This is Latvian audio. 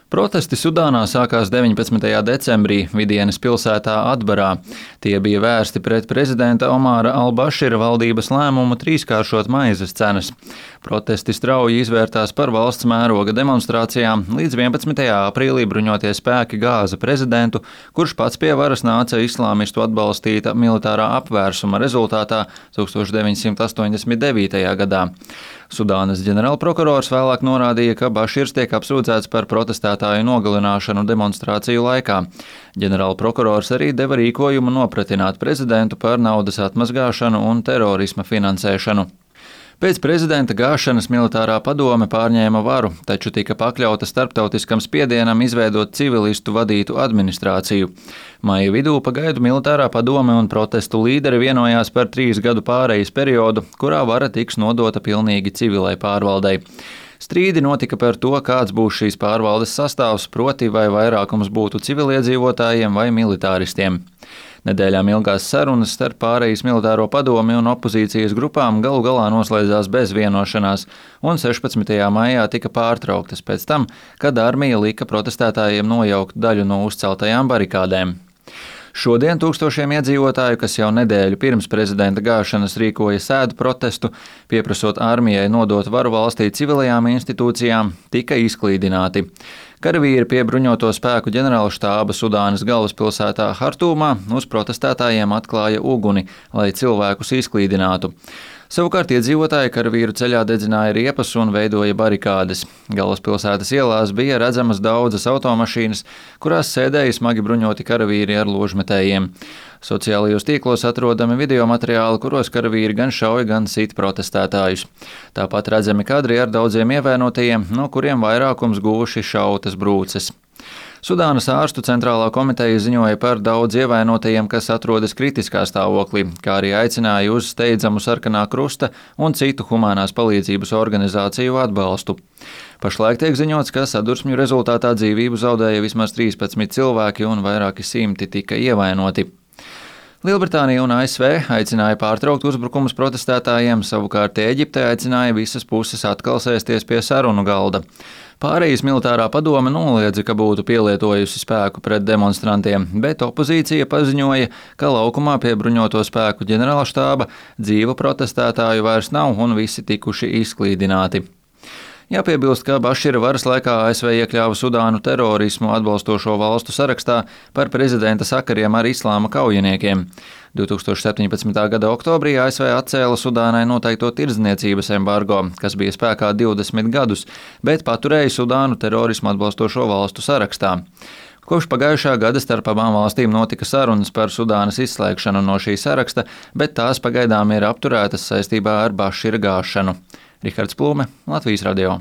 Protesti Sudānā sākās 19. decembrī Vidienes pilsētā Atbarā. Tie bija vērsti pret prezidenta Omāra al-Bašira valdības lēmumu trīskāršot maizes cenas. Protesti strauji izvērtās par valsts mēroga demonstrācijām, līdz 11. aprīlī bruņotie spēki gāza prezidentu, kurš pats pie varas nāca islāmistu atbalstīta militārā apvērsuma rezultātā 1989. gadā. Sudānas ģenerālprokurors vēlāk norādīja, ka Baširs tiek apsūdzēts par protestētāju nogalināšanu demonstrāciju laikā. Ģenerālprokurors arī deva rīkojumu nopratināt prezidentu par naudas atmazgāšanu un terorisma finansēšanu. Pēc prezidenta gāšanas militārā padome pārņēma varu, taču tika pakļauta starptautiskam spiedienam izveidot civilistu vadītu administrāciju. Maija vidū pagaidu militārā padome un protestu līderi vienojās par 3 gadu pārejas periodu, kurā vara tiks nodota pilnīgi civilai pārvaldei. Strīdi notika par to, kāds būs šīs pārvaldes sastāvs, proti vai vairākums būtu civiliedzīvotājiem vai militāristiem. Nedēļām ilgās sarunas starp pārejas militāro padomi un opozīcijas grupām galu galā noslēdzās bez vienošanās, un 16. maijā tika pārtrauktas pēc tam, kad armija lika protestētājiem nojaukt daļu no uzceltajām barikādēm. Šodien tūkstošiem iedzīvotāju, kas jau nedēļu pirms prezidenta gāšanas rīkoja sēdu protestu, pieprasot armijai nodot varu valstī civilajām institūcijām, tika izklīdināti. Karavīri pie bruņoto spēku ģenerālštāba Sudānas galvaspilsētā Hartūmā uz protestētājiem atklāja uguni, lai cilvēkus izklīdinātu. Savukārt iedzīvotāji karavīru ceļā dedzināja riepas un veidoja barikādes. Galvaspilsētas ielās bija redzamas daudzas automašīnas, kurās sēdēja smagi bruņoti karavīri ar ložmetējiem. Sociālajos tīklos atrodami video materiāli, kuros karavīri gan šauja, gan sit protestētājus. Tāpat redzami kadri ar daudziem ievainotajiem, no kuriem vairākums guvuši šautas brūces. Sudānas ārstu centrālā komiteja ziņoja par daudz ievainotajiem, kas atrodas kritiskā stāvoklī, kā arī aicināja uz steidzamu Sarkanā Krusta un citu humanās palīdzības organizāciju atbalstu. Pašlaik tiek ziņots, ka sadursmju rezultātā dzīvību zaudēja vismaz 13 cilvēki un vairāki simti tika ievainoti. Lielbritānija un ASV aicināja pārtraukt uzbrukumus protestētājiem, savukārt Ēģipte aicināja visas puses atkal sēsties pie sarunu galda. Pārejas militārā padome noliedza, ka būtu pielietojusi spēku pret demonstrantiem, bet opozīcija paziņoja, ka laukumā pie bruņoto spēku ģenerālštāba dzīvu protestētāju vairs nav un visi tikuši izklīdināti. Jāpiebilst, ka Bašira varas laikā ASV iekļāva Sudānu terorismu atbalstošo valstu sarakstā par prezidenta sakariem ar islāma kaujiniekiem. 2017. gada oktobrī ASV atcēla Sudānai noteikto tirdzniecības embargo, kas bija spēkā 20 gadus, bet paturēja Sudānu terorismu atbalstošo valstu sarakstā. Kopš pagājušā gada starp abām valstīm notika sarunas par Sudānas izslēgšanu no šī saraksta, bet tās pagaidām ir apturētas saistībā ar Bašira gāšanu. Rihards Plūme, Latvijas radio.